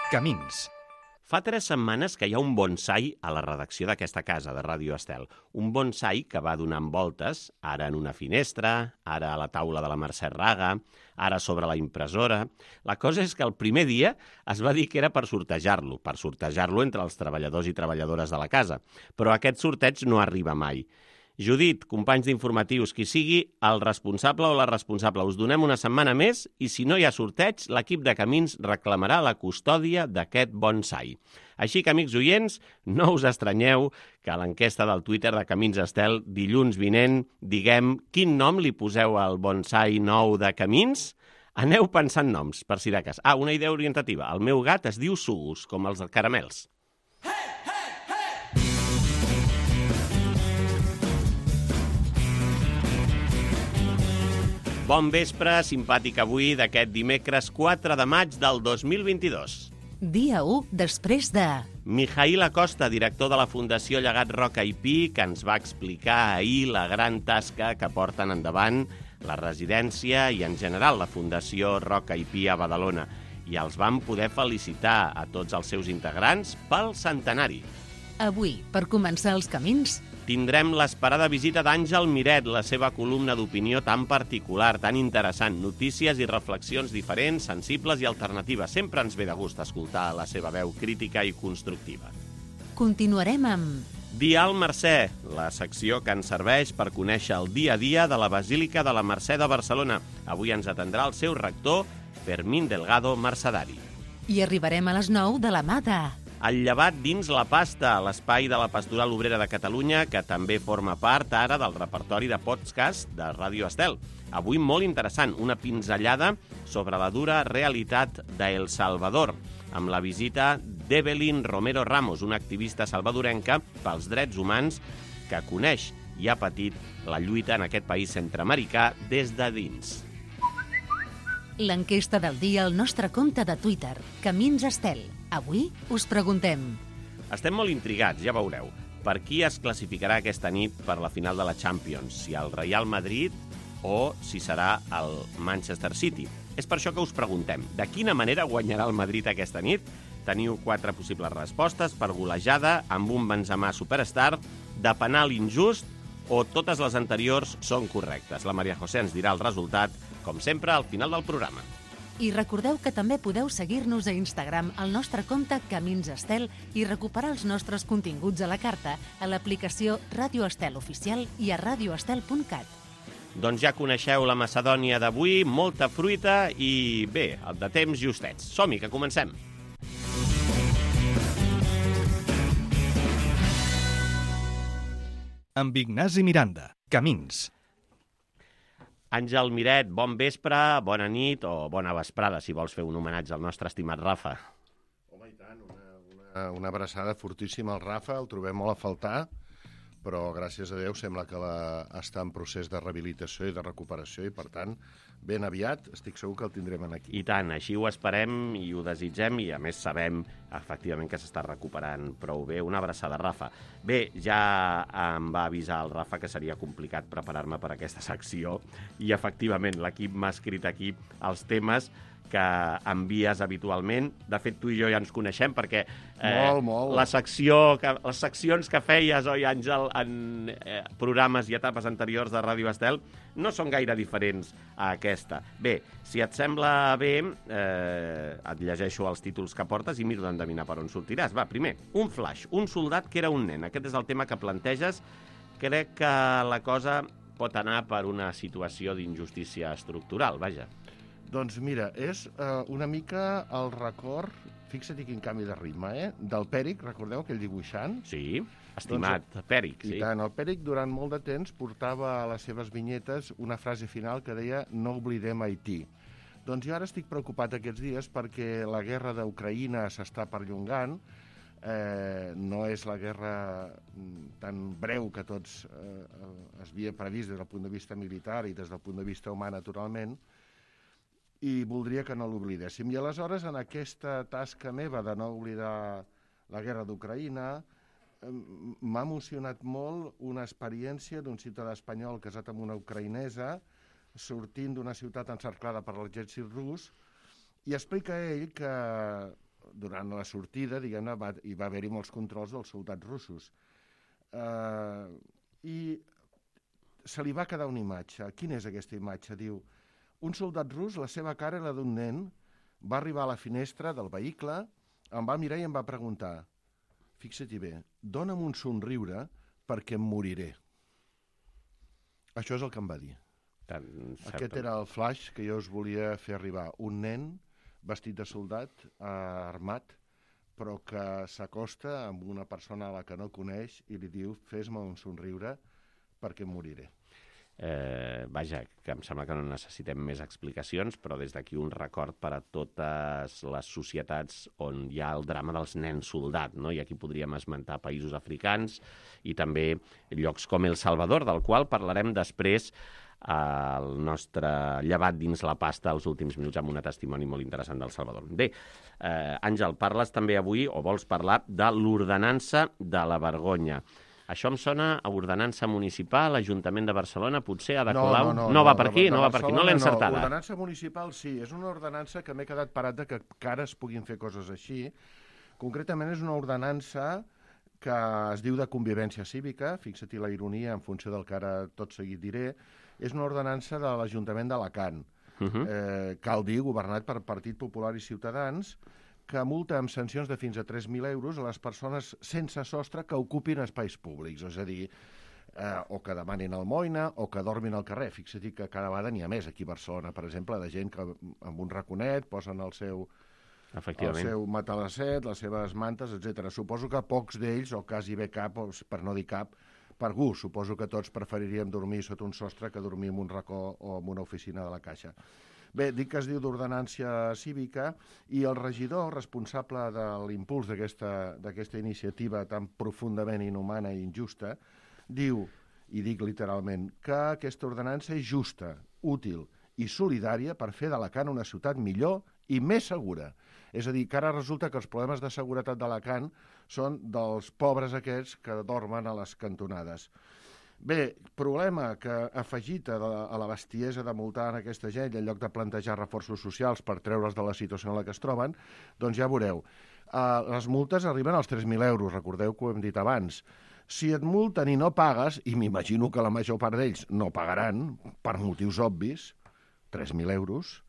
Camins. Fa 3 setmanes que hi ha un bonsai a la redacció d'aquesta casa, de Ràdio Estel. Un bonsai que va donant voltes, ara en una finestra, ara a la taula de la Mercè Raga, ara sobre la impressora. La cosa és que el primer dia es va dir que era per sortejar-lo entre els treballadors i treballadores de la casa. Però aquest sorteig no arriba mai. Judit, companys d'informatius, qui sigui el responsable o la responsable, us donem una setmana més i si no hi ha sorteig, l'equip de Camins reclamarà la custòdia d'aquest bonsai. Així que, amics oients, no us estranyeu que a l'enquesta del Twitter de Camins Estel, dilluns vinent, diguem quin nom li poseu al bonsai nou de Camins? Aneu pensant noms, per si de cas. Una idea orientativa. El meu gat es diu Sugus, com els caramels. Bon vespre, simpàtic avui d'aquest dimecres 4 de maig del 2022. Dia 1 després de... Mijail Acosta, director de la Fundació Llegat Roca i Pi, que ens va explicar ahir la gran tasca que porten endavant la residència i, en general, la Fundació Roca i Pi a Badalona. I els vam poder felicitar a tots els seus integrants pel centenari. Avui, per començar els camins... Tindrem l'esperada visita d'Àngel Miret, la seva columna d'opinió tan particular, tan interessant, notícies i reflexions diferents, sensibles i alternatives. Sempre ens ve de gust escoltar la seva veu crítica i constructiva. Continuarem amb... Dia al Mercè, la secció que ens serveix per conèixer el dia a dia de la Basílica de la Mercè de Barcelona. Avui ens atendrà el seu rector, Fermín Delgado Mercedari. I arribarem a les 9 de la mà de... El llevat dins la pasta, l'espai de la Pastoral Obrera de Catalunya, que també forma part ara del repertori de podcast de Ràdio Estel. Avui molt interessant, una pinzellada sobre la dura realitat d'El Salvador, amb la visita d'Evelyn Romero Ramos, una activista salvadorenca pels drets humans que coneix i ha patit la lluita en aquest país centreamericà des de dins. L'enquesta del dia al nostre compte de Twitter, Camins Estel. Avui us preguntem... Estem molt intrigats, ja veureu. Per qui es classificarà aquesta nit per la final de la Champions? Si el Real Madrid o si serà el Manchester City. És per això que us preguntem, de quina manera guanyarà el Madrid aquesta nit? Teniu 4 possibles respostes: per golejada, amb un Benzema superstar, de penal injust o totes les anteriors són correctes. La Maria José ens dirà el resultat, com sempre, al final del programa. I recordeu que també podeu seguir-nos a Instagram al nostre compte Camins Estel i recuperar els nostres continguts a la carta a l'aplicació Ràdio Estel Oficial i a radioestel.cat. Doncs ja coneixeu la Macedònia d'avui, molta fruita i bé, de temps justets. Som-hi, que comencem! Amb Ignasi Miranda. Camins. Àngel Miret, bon vespre, bona nit o bona vesprada, si vols fer un homenatge al nostre estimat Rafa. Home, i tant, una abraçada fortíssima al Rafa, el trobem molt a faltar, però gràcies a Déu sembla que està en procés de rehabilitació i de recuperació i, per tant, ben aviat estic segur que el tindrem aquí. I tant, així ho esperem i ho desitgem i, a més, sabem efectivament que s'està recuperant prou bé. Una abraçada, Rafa. Bé, ja em va avisar el Rafa que seria complicat preparar-me per aquesta secció i, efectivament, l'equip m'ha escrit aquí els temes que envies habitualment. De fet, tu i jo ja ens coneixem perquè molt. Les seccions que feies, oi, Àngel, en programes i etapes anteriors de Ràdio Estel no són gaire diferents a aquesta. Bé, si et sembla bé, et llegeixo els títols que portes i miro d'endevinar per on sortiràs. Va, primer, un flash, un soldat que era un nen. Aquest és el tema que planteges. Crec que la cosa pot anar per una situació d'injustícia estructural, vaja. Doncs mira, és una mica el record, fixa't quin canvi de ritme, del Pèric, recordeu aquell dibuixant? Sí, estimat Pèric, sí. I tant, el Pèric durant molt de temps portava a les seves vinyetes una frase final que deia "no oblidem Haití". Doncs jo ara estic preocupat aquests dies perquè la guerra d'Ucraïna s'està perllongant, no és la guerra tan breu que tots es havia previst des del punt de vista militar i des del punt de vista humà, naturalment, i voldria que no l'oblidéssim. I aleshores, en aquesta tasca meva de no oblidar la guerra d'Ucraïna, m'ha emocionat molt una experiència d'un ciutadà espanyol casat amb una ucraïnesa, sortint d'una ciutat encerclada per l'exèrcit rus, i explica ell que durant la sortida, diguem-ne, hi va haver-hi molts controls dels soldats russos. I se li va quedar una imatge. Quina és aquesta imatge? Diu, un soldat rus, la seva cara era d'un nen, va arribar a la finestra del vehicle, em va mirar i em va preguntar, fixa-t'hi bé, dona'm un somriure perquè em moriré. Això és el que em va dir. Aquest era el flash que jo us volia fer arribar. Un nen vestit de soldat, armat, però que s'acosta amb una persona a la que no coneix i li diu, fes-me un somriure perquè em moriré. Vaja, que em sembla que no necessitem més explicacions, però des d'aquí un record per a totes les societats on hi ha el drama dels nens soldat, no? I aquí podríem esmentar països africans i també llocs com El Salvador, del qual parlarem després al nostre llevat dins la pasta els últims minuts amb un testimoni molt interessant del Salvador. Bé, Àngel, parles també avui, o vols parlar, de l'ordenança de la vergonya. Això em sona a ordenança municipal, l'Ajuntament de Barcelona, potser Ada Colau... No va per aquí, no va per aquí, no l'he encertada. No, ordenança municipal sí, és una ordenança que m'he quedat parat de que ara es puguin fer coses així. Concretament és una ordenança que es diu de convivència cívica, fixa-t'hi la ironia en funció del que ara tot seguit diré, és una ordenança de l'Ajuntament d'Alacant, cal dir, governat per Partit Popular i Ciutadans, que multa amb sancions de fins a 3.000 euros a les persones sense sostre que ocupin espais públics, és a dir, o que demanin almoina o que dormin al carrer. Fixa-t'hi que cada vegada n'hi ha més aquí a Barcelona, per exemple, de gent que amb un raconet posen el seu matalasset, les seves mantes, etc. Suposo que pocs d'ells, o quasi bé cap, per no dir cap, per gust. Suposo que tots preferiríem dormir sota un sostre que dormir en un racó o en una oficina de la Caixa. Bé, dic que es diu d'ordenància cívica i el regidor responsable de l'impuls d'aquesta iniciativa tan profundament inhumana i injusta diu, i dic literalment, que aquesta ordenança és justa, útil i solidària per fer d'Alacant una ciutat millor i més segura. És a dir, que ara resulta que els problemes de seguretat d'Alacant són dels pobres aquests que dormen a les cantonades. Bé, problema que afegit a la bestiesa de multar en aquesta gent en lloc de plantejar reforços socials per treure's de la situació en la que es troben, doncs ja veureu. Les multes arriben als 3.000 euros, recordeu que ho hem dit abans. Si et multen i no pagues, i m'imagino que la major part d'ells no pagaran, per motius obvis, 3.000 euros,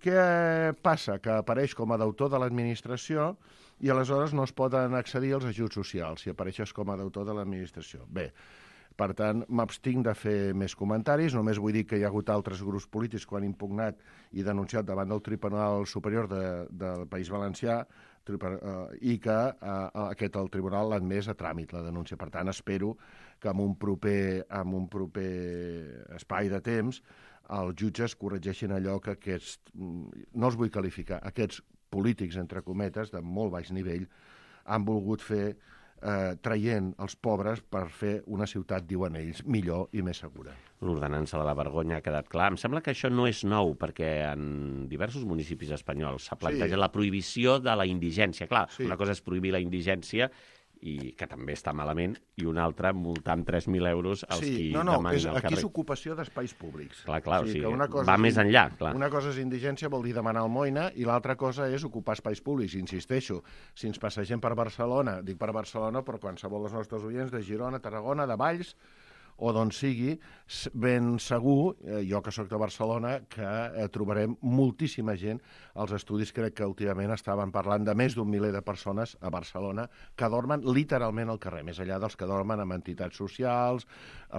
què passa? Que apareix com a deutor de l'administració i aleshores no es poden accedir als ajuts socials si apareixes com a deutor de l'administració. Bé, per tant, m'abstinc de fer més comentaris, només vull dir que hi ha hagut altres grups polítics que han impugnat i denunciat davant del Tribunal Superior del País Valencià i que el Tribunal l'ha admès a tràmit, la denúncia. Per tant, espero que en un proper espai de temps els jutges corregeixin allò que no els vull qualificar, aquests polítics, entre cometes, de molt baix nivell, han volgut fer traient els pobres per fer una ciutat, diuen ells, millor i més segura. L'ordenança de la vergonya ha quedat clar. Em sembla que això no és nou, perquè en diversos municipis espanyols s'ha plantejat la prohibició de la indigència. Clar, una cosa és prohibir la indigència, i que també està malament, i una altra multar amb 3.000 euros els qui demanen al carrer. Aquí és ocupació d'espais públics. Clar, o sigui, va més enllà. Clar. Una cosa és indigència, vol dir demanar almoina, i l'altra cosa és ocupar espais públics. Insisteixo, si ens passegem per Barcelona, dic per Barcelona, però qualsevol dels nostres oients de Girona, Tarragona, de Valls, o d'on sigui, ben segur, jo que sóc de Barcelona, que trobarem moltíssima gent. Els estudis crec que últimament estaven parlant de més d'un miler de persones a Barcelona que dormen literalment al carrer, més enllà dels que dormen en entitats socials,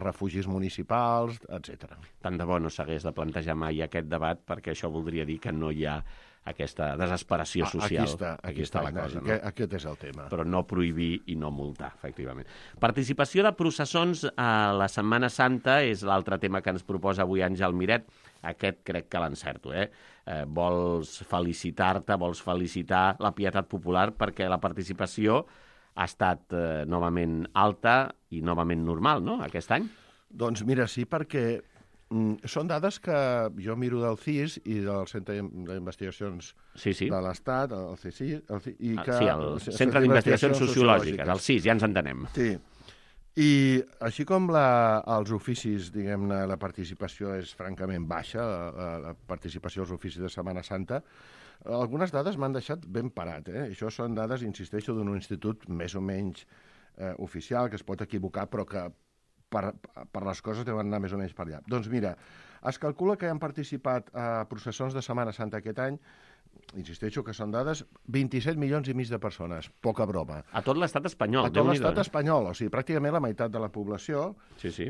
refugis municipals, etc. Tant de bo no s'hagués de plantejar mai aquest debat, perquè això voldria dir que no hi ha aquesta desesperació social. Aquí està la cosa. No? Aquest és el tema. Però no prohibir i no multar, efectivament. Participació de processons a la Setmana Santa és l'altre tema que ens proposa avui Àngel Miret. Aquest crec que l'encerto, Vols felicitar-te, vols felicitar la pietat popular perquè la participació ha estat novament alta i novament normal, no?, aquest any? Doncs mira, sí, perquè són dades que jo miro del CIS i del Centre d'Investigacions de l'Estat, el CSIS, el Centre d'Investigacions Sociològiques, el CIS, ja ens entenem. Sí, i així com els oficis, diguem-ne, la participació és francament baixa, la participació als oficis de Setmana Santa, Algunes dades m'han deixat ben parat, Això són dades, insisteixo, d'un institut més o menys oficial, que es pot equivocar, però que per les coses deuen anar més o menys per allà. Doncs mira, es calcula que han participat a processons de Setmana Santa aquest any, insisteixo que són dades, 27 milions i mig de persones, poca broma. A tot l'estat espanyol. A tot l'estat espanyol, o sigui, pràcticament la meitat de la població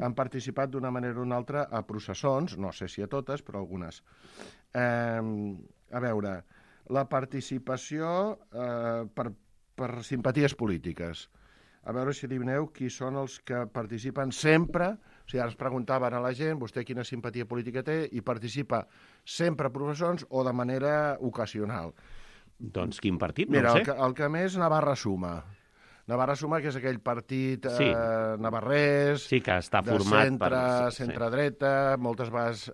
han participat d'una manera o una altra a processons, no sé si a totes, però algunes. A veure, la participació per simpaties polítiques. A veure si adivineu qui són els que participen sempre. O sigui, ara es preguntaven a la gent, vostè quina simpatia política té, i participa sempre a processons o de manera ocasional. Doncs quin partit? Mira, no ho sé. el que més, Navarra Suma. Navarra Suma, que és aquell partit navarrès, sí, que està format centre-dreta, moltes vegades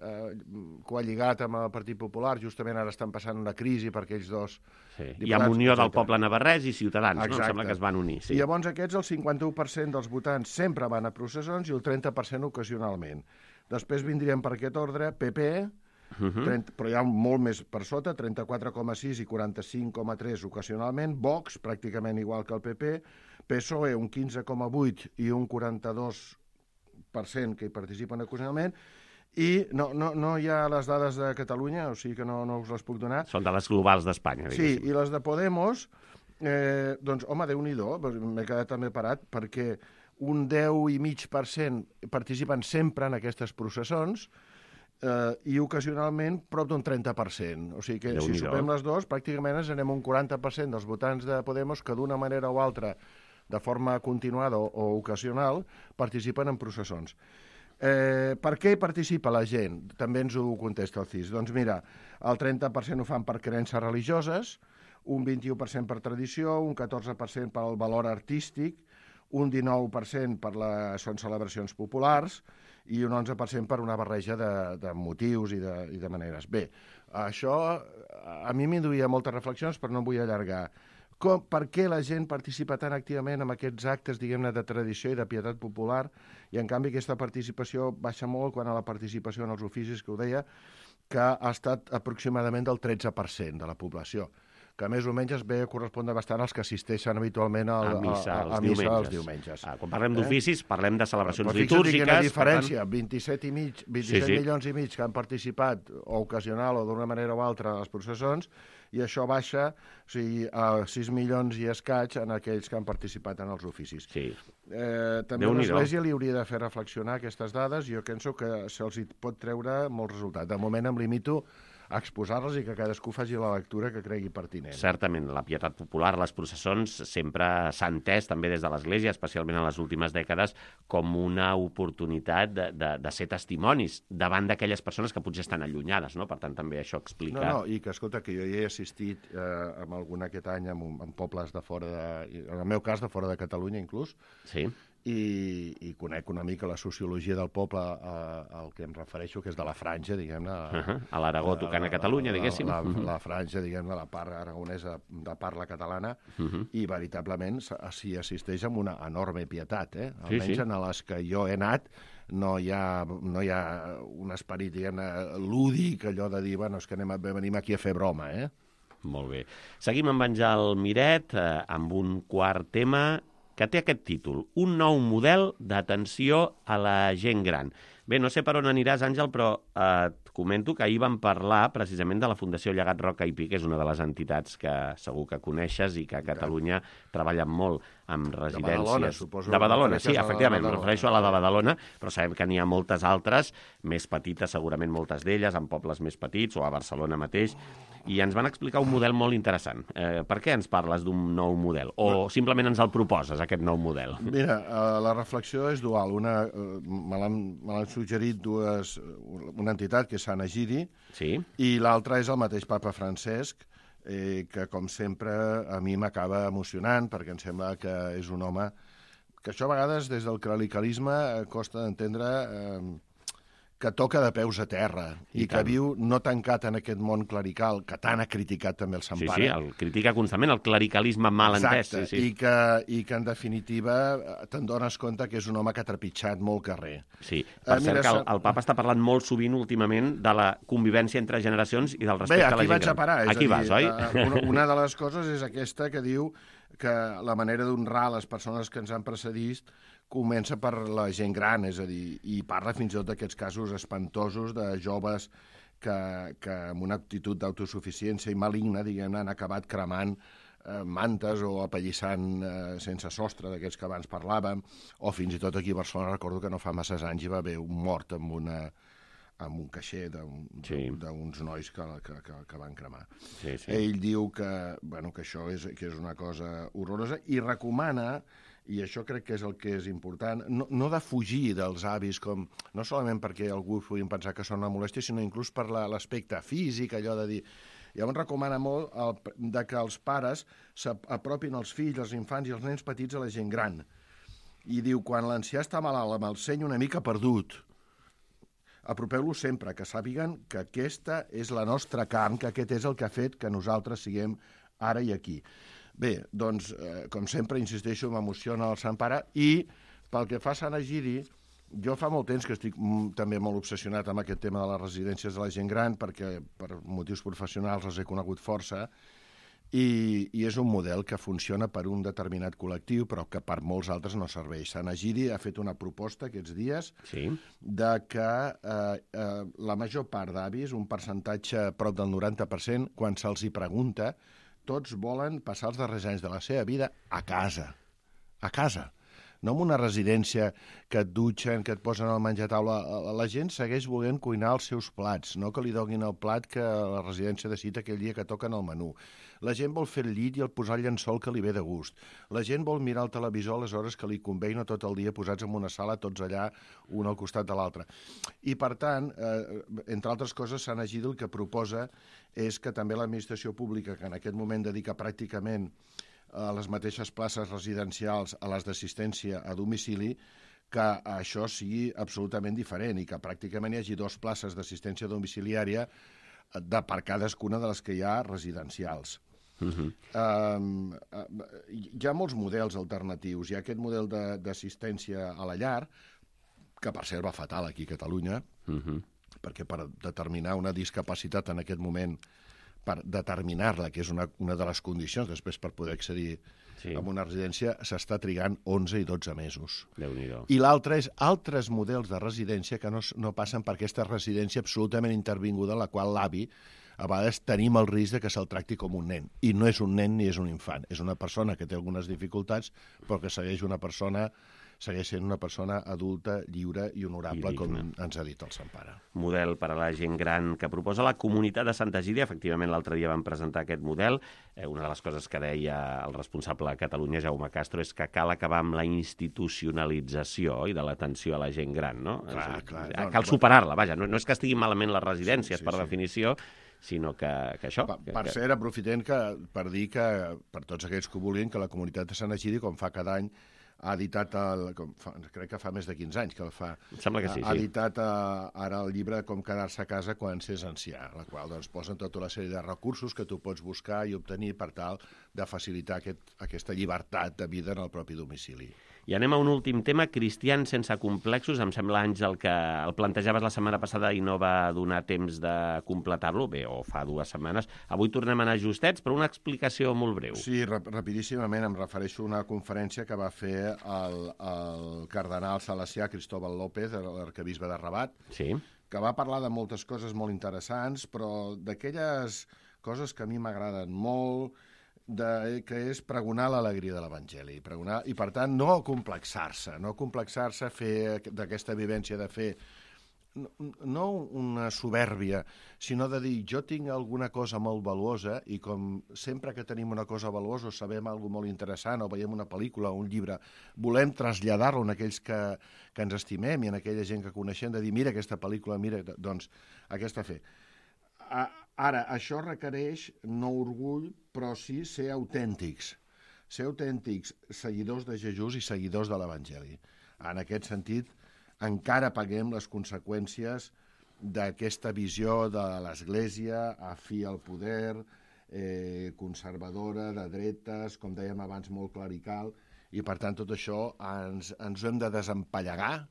coalligat amb el Partit Popular, justament ara estan passant una crisi per aquells dos diputats. I amb Unió del Poble Navarrès i Ciutadans, exacte. No? Em sembla que es van unir. Sí. I llavors aquests, el 51% dels votants sempre van a processons i el 30% ocasionalment. Després vindrien per aquest ordre PP, 30, però hi ha molt més per sota, 34,6 i 45,3 ocasionalment, Vox, pràcticament igual que el PP, PSOE, un 15,8 i un 42% que hi participen ocasionalment, i no hi ha les dades de Catalunya, o sigui que no us les puc donar. Són de les globals d'Espanya, diguéssim. Sí, i les de Podemos, doncs, home, Déu-n'hi-do, m'he quedat també parat, perquè un 10,5% participen sempre en aquestes processons, i ocasionalment prop d'un 30%. O sigui que si sumem les dues, pràcticament ens anem un 40% dels votants de Podemos que d'una manera o altra, de forma continuada o ocasional, participen en processons. Per què hi participa la gent? També ens ho contesta el CIS. Doncs mira, el 30% ho fan per creences religioses, un 21% per tradició, un 14% pel valor artístic, un 19% són celebracions populars i un 11% per una barreja de motius i de maneres. Bé, això a mi m'induïa moltes reflexions, però no em vull allargar. Per què la gent participa tan activament en aquests actes, diguem-ne, de tradició i de pietat popular, i en canvi aquesta participació baixa molt quan a la participació en els oficis, que ho deia, que ha estat aproximadament del 13% de la població, que més o menys es ve a correspondre bastant als que assisteixen habitualment a missa els diumenges. Quan parlem d'oficis, parlem de celebracions litúrgiques. litúrgiques. Quina diferència, 27 milions i mig que han participat o ocasional o d'una manera o altra a les processons, i això baixa, o sigui, a 6 milions i escaig en aquells que han participat en els oficis. Sí. També l'Església li hauria de fer reflexionar aquestes dades, i jo penso que se'ls pot treure molt resultat. De moment em limito a exposar-les i que cadascú faci la lectura que cregui pertinent. Certament, la pietat popular, les processons, sempre s'ha entès, també des de l'Església, especialment en les últimes dècades, com una oportunitat de ser testimonis davant d'aquelles persones que potser estan allunyades, no? Per tant, també això explica... I que, escolta, que jo hi he assistit amb algun aquest any en pobles de fora, en el meu cas, de fora de Catalunya, inclús, sí. I conec una mica la sociologia del poble al que em refereixo, que és de la franja, diguem-ne... A l'Aragó tocant a Catalunya, diguéssim. La franja, diguem-ne, la part aragonesa de parla catalana, i veritablement s'hi assisteix amb una enorme pietat, almenys en les que jo he anat, no hi ha un esperit, diguem-ne, lúdic, allò de dir, bueno, és que venim aquí a fer broma, Molt bé. Seguim amb Àngel Miret, amb un quart tema que té aquest títol, un nou model d'atenció a la gent gran. Bé, no sé per on aniràs, Àngel, però et comento que ahir vam parlar precisament de la Fundació Llegat Roca i Pi, que és una de les entitats que segur que coneixes i que a Catalunya treballen molt amb residències... De Badalona, suposo. De Badalona, sí, efectivament, em refereixo a la de Badalona, però sabem que n'hi ha moltes altres, més petites, segurament moltes d'elles, en pobles més petits, o a Barcelona mateix, i ens van explicar un model molt interessant. Per què ens parles d'un nou model? O simplement ens el proposes, aquest nou model? Mira, la reflexió és dual. Me l'han suggerit una entitat, que és Sant Egidi, sí. I l'altra és el mateix papa Francesc, que, com sempre, a mi m'acaba emocionant, perquè em sembla que és un home que això a vegades, des del clericalisme, costa d'entendre que toca de peus a terra i que viu no tancat en aquest món clerical, que tant ha criticat també el Sant Pare. Sí, el critica constantment, el clericalisme mal entès. Exacte, i que en definitiva te'n dones compte que és un home que ha trepitjat molt carrer. Sí, per cert que el papa està parlant molt sovint últimament de la convivència entre generacions i del respecte a la gent gran. Bé, aquí vaig a parar. Aquí vas, oi? Una de les coses és aquesta que diu que la manera d'honrar les persones que ens han precedit comença per la gent gran, és a dir, i parla fins i tot d'aquests casos espantosos de joves que amb una actitud d'autosuficiència i maligna, diguem-ne, han acabat cremant mantes o apallissant sense sostre, d'aquests que abans parlàvem, o fins i tot aquí a Barcelona recordo que no fa masses anys hi va haver un mort amb un caixer d'uns nois que van cremar. Sí. Ell diu que això és una cosa horrorosa i recomana, i això crec que és el que és important, no de fugir dels avis, no solament perquè algú puguin pensar que són una molèstia, sinó inclús per l'aspecte físic, allò de dir... Llavors recomana molt que els pares s'apropin els fills, els infants i els nens petits a la gent gran. I diu, quan l'ancià està malalt amb el seny una mica perdut, apropeu-lo sempre, que sàpiguen que aquesta és la nostra carn, que aquest és el que ha fet que nosaltres siguem ara i aquí. Bé, doncs, com sempre, insisteixo, m'emociona el Sant Pare, i pel que fa a Sant Egidi, jo fa molt temps que estic també molt obsessionat amb aquest tema de les residències de la gent gran, perquè per motius professionals els he conegut força, i és un model que funciona per un determinat col·lectiu, però que per molts altres no serveix. Sant Egidi ha fet una proposta aquests dies de que la major part d'avis, un percentatge prop del 90%, quan se'ls hi pregunta, tots volen passar els darrers anys de la seva vida a casa. A casa. No en una residència que et dutxen, que et posen al menjar a taula. La gent segueix volent cuinar els seus plats, no que li donin el plat que la residència decida aquell dia que toquen el menú. La gent vol fer el llit i el posar el llençol que li ve de gust. La gent vol mirar el televisor a les hores que li convé i no tot el dia posats en una sala, tots allà, un al costat de l'altre. I, per tant, entre altres coses, Sant Egidi el que proposa és que també l'administració pública, que en aquest moment dedica pràcticament a les mateixes places residencials a les d'assistència a domicili, que això sigui absolutament diferent i que pràcticament hi hagi 2 places d'assistència domiciliària per cadascuna de les que hi ha residencials. Hi ha molts models alternatius. Hi ha aquest model d'assistència a la llar, que per cert va fatal aquí a Catalunya, perquè per determinar una discapacitat en aquest moment, per determinar-la, que és una de les condicions després per poder accedir a una residència, s'està trigant 11 i 12 mesos. Déu-n'hi-do. I l'altre és altres models de residència que no passen per aquesta residència absolutament intervinguda en la qual l'avi a vegades tenim el risc de que se'l tracti com un nen. I no és un nen ni és un infant. És una persona que té algunes dificultats, però que segueix sent una persona adulta, lliure i honorable, com ens ha dit el Sant Pare. Model per a la gent gran que proposa la comunitat de Sant Egidi. Efectivament, l'altre dia vam presentar aquest model. Una de les coses que deia el responsable a Catalunya, Jaume Castro, és que cal acabar amb la institucionalització i de l'atenció a la gent gran, no? Clar. Cal superar-la, vaja. No és que estiguin malament les residències, per definició, sinó que això... Per cert, aprofitem per dir que, per tots aquells que ho vulguin, que la comunitat de Sant Egidi, com fa cada any, ha editat, crec que fa més de 15 anys que el fa, sembla que sí, ha editat ara el llibre Com quedar-se a casa quan s'és ancià, la qual posen tota una sèrie de recursos que tu pots buscar i obtenir per tal de facilitar aquesta llibertat de vida en el propi domicili. I anem a un últim tema, cristians sense complexos. Em sembla, Àngel, que el plantejaves la setmana passada i no va donar temps de completar-lo, bé, o fa 2 setmanes. Avui tornem a anar justets, però una explicació molt breu. Sí, rapidíssimament em refereixo a una conferència que va fer el cardenal salesià Cristóbal López, l'arquebisbe de Rabat, que va parlar de moltes coses molt interessants, però d'aquelles coses que a mi m'agraden molt, que és pregonar l'alegria de l'Evangeli, i per tant no complexar-se, fer d'aquesta vivència de fer no una supèrbia, sinó de dir jo tinc alguna cosa molt valuosa i com sempre que tenim una cosa valuosa o sabem alguna molt interessant o veiem una pel·lícula o un llibre, volem traslladar-lo a aquells que ens estimem i a aquella gent que coneixem, de dir mira aquesta pel·lícula, mira, doncs aquesta fe. Ara, això requereix no orgull, però sí ser autèntics. Ser autèntics, seguidors de Jesús i seguidors de l'Evangeli. En aquest sentit, encara paguem les conseqüències d'aquesta visió de l'Església afí al poder, conservadora, de dretes, com dèiem abans, molt clerical, i per tant tot això ens ho hem de desempallegar,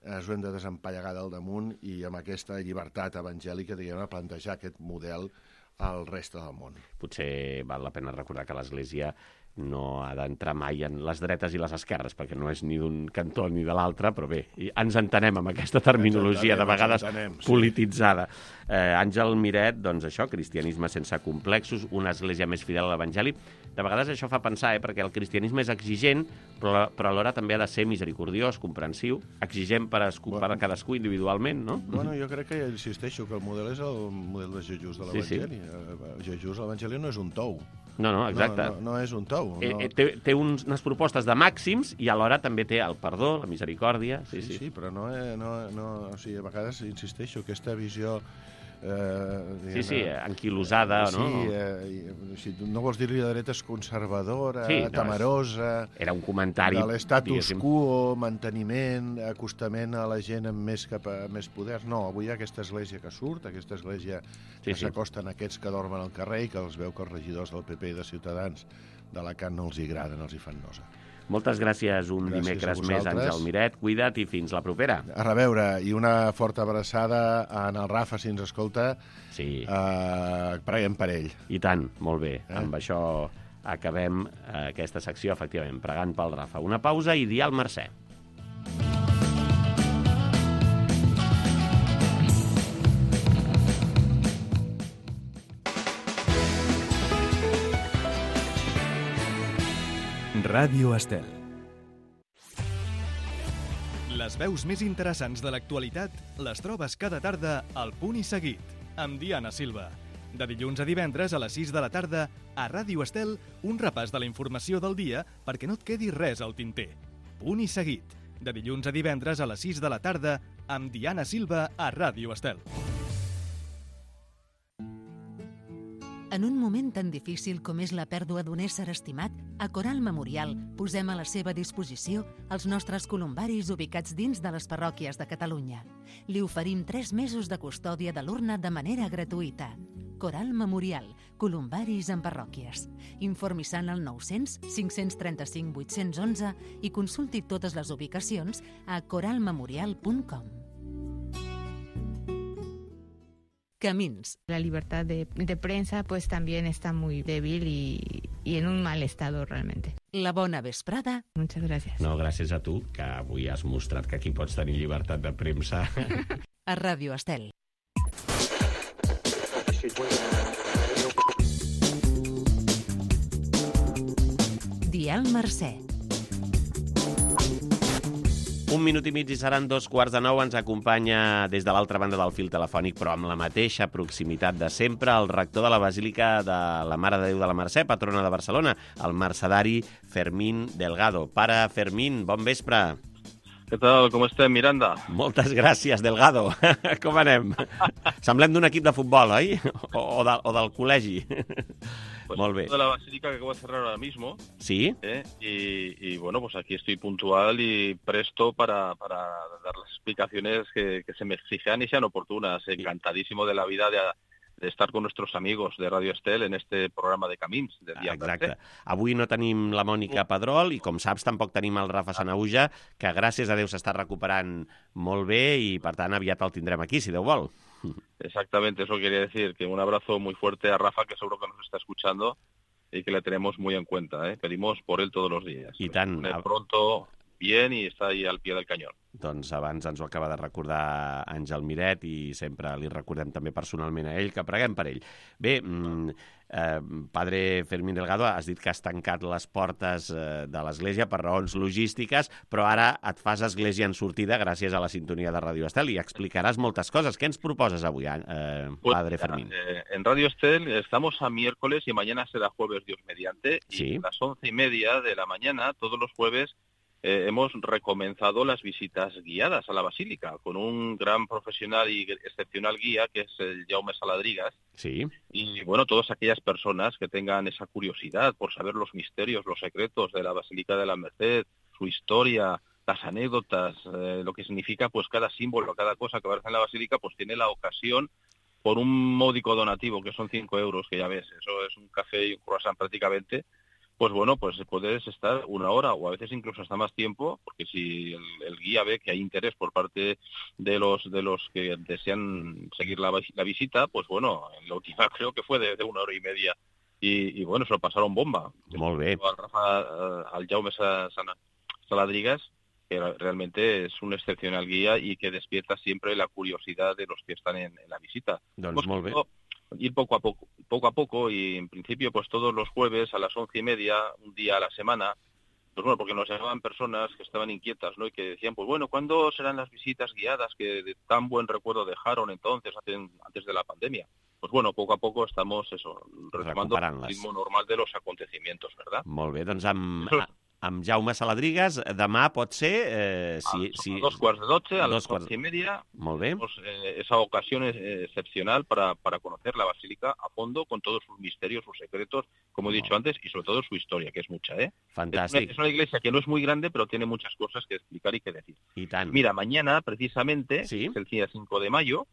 del damunt i amb aquesta llibertat evangèlica, diguem, a plantejar aquest model al reste del món. Potser val la pena recordar que l'Església no ha d'entrar mai en les dretes i les esquerres, perquè no és ni d'un cantó ni de l'altre, però bé, ens entenem amb aquesta terminologia de vegades polititzada. Àngel Miret, doncs això, cristianisme sense complexos, una església més fidel a l'Evangeli. De vegades això fa pensar, perquè el cristianisme és exigent, però alhora també ha de ser misericordiós, comprensiu, exigent per a cadascú individualment, no? Bueno, jo crec que insisteixo que el model és el model de Jesús de l'Evangeli. Jesús, l'Evangeli no és un tou. No, exacte. No és un tou. Té unes propostes de màxims i alhora també té el perdó, la misericòrdia. Sí, però no, o sigui, a vegades insisteixo, aquesta visió anquilosada, no? Si no vols dir-li de dretes, conservadora, temerosa... Era un comentari... De l'estatus quo, manteniment, acostament a la gent amb més poders. No, avui hi ha aquesta església que surt, aquesta església que s'acosten a aquests que dormen al carrer i que els veu que els regidors del PP i de Ciutadans d'Alacant no els hi agraden, els hi fan nosa. Moltes gràcies dimecres més, Àngel Miret. Cuida't i fins la propera. A reveure, i una forta abraçada en el Rafa, si ens escolta. Sí. Preguem per ell. I tant, molt bé. Amb això acabem aquesta secció, efectivament, pregant pel Rafa. Una pausa i dia al Mercè. Ràdio Estel. Les veus més interessants de l'actualitat les trobes cada tarda al Punt i Seguit, amb Diana Silva. De dilluns a divendres a les 6 de la tarda, a Ràdio Estel, un repàs de la informació del dia perquè no et quedi res al tinter. Punt i Seguit. De dilluns a divendres a les 6 de la tarda, amb Diana Silva a Ràdio Estel. En un moment tan difícil com és la pèrdua d'un ésser estimat, a Coral Memorial posem a la seva disposició els nostres columbaris ubicats dins de les parròquies de Catalunya. Li oferim 3 mesos de custòdia de l'urna de manera gratuïta. Coral Memorial, columbaris en parròquies. Informi-se al 900 535 811 i consulti totes les ubicacions a coralmemorial.com. Camins. La libertad de prensa pues también está muy débil y en un mal estado realmente. La bona vesprada. Muchas gracias. No, gràcies a tu, que avui has mostrat que aquí pots tenir llibertat de premsa. A Ràdio Estel. Dial Mercè. 1 minut i mig i seran 8:45. Ens acompanya des de l'altra banda del fil telefònic, però amb la mateixa proximitat de sempre, el rector de la Basílica de la Mare de Déu de la Mercè, patrona de Barcelona, el mercedari Fermín Delgado. Pare Fermín, bon vespre. Què tal? Com estem, Miranda? Moltes gràcies, Delgado. Com anem? Semblem d'un equip de futbol, oi? O del col·legi. Pues Molt bé. De la Basílica que acabo de cerrar ahora mismo. Sí. Y bueno, pues aquí estoy puntual y presto para dar las explicaciones que se me exijan y sean oportunas. Encantadísimo de la vida de estar con nuestros amigos de Radio Estel en este programa de Camins del dia. Exacte. Avui no tenim la Mònica Pedrol i, com saps, tampoc tenim el Rafa Sanahuja, que gràcies a Déu s'està recuperant molt bé i, per tant, aviat el tindrem aquí, si Déu vol. Exactamente, eso quería decir, que un abrazo muy fuerte a Rafa, que seguro que nos está escuchando y que le tenemos muy en cuenta. Pedimos por él todos los días. I tant. Pronto, bien, y está ahí al pie del cañón. Doncs abans ens ho acaba de recordar Àngel Miret i sempre li recordem també personalment a ell, que preguem per ell. Bé, padre Fermín Delgado, has dit que has tancat les portes de l'església per raons logístiques, però ara et fas església en sortida gràcies a la sintonia de Radio Estel i explicaràs moltes coses. Què ens proposes avui, padre Fermín? En Radio Estel estamos a miércoles y mañana será jueves, Dios mediante, Sí. y a las 11:30 de la mañana, todos los jueves, hemos recomenzado las visitas guiadas a la Basílica con un gran profesional y excepcional guía que es el Jaume Saladrigas. Sí. Y bueno, todas aquellas personas que tengan esa curiosidad por saber los misterios, los secretos de la Basílica de la Merced, su historia, las anécdotas, lo que significa pues cada símbolo, cada cosa que aparece en la basílica, pues tiene la ocasión por un módico donativo, que son 5 euros, que ya ves, eso es un café y un croissant prácticamente, pues bueno, pues puedes estar 1 hora o a veces incluso hasta más tiempo, porque si el guía ve que hay interés por parte de los que desean seguir la visita, pues bueno, la última creo que fue de 1 hora y media. Y bueno, se lo pasaron bomba. Molt bé. Al Jaume Saladrigas, que realmente es un excepcional guía y que despierta siempre la curiosidad de los que están en la visita. Doncs molt bé. Ir poco a poco, y en principio pues todos los jueves a las 11:30, un día a la semana, pues bueno, porque nos llamaban personas que estaban inquietas, ¿no? Y que decían, pues bueno, ¿cuándo serán las visitas guiadas que de tan buen recuerdo dejaron entonces, antes de la pandemia? Pues bueno, poco a poco estamos retomando el ritmo normal de los acontecimientos, ¿verdad? Molt bé, doncs amb Jaume Saladrigas, demà pot ser... A 2:15, a las 11:30. Molt bé. Esa ocasión es excepcional para conocer la basílica a fondo, con todos sus misterios, sus secretos, como he dicho antes, y sobre todo su historia, que es mucha, ¿eh? Fantàstic. Es una iglesia que no es muy grande, pero tiene muchas cosas que explicar y que decir. I tant. Mira, mañana, precisamente, ¿Sí? es el día 5 de mayo,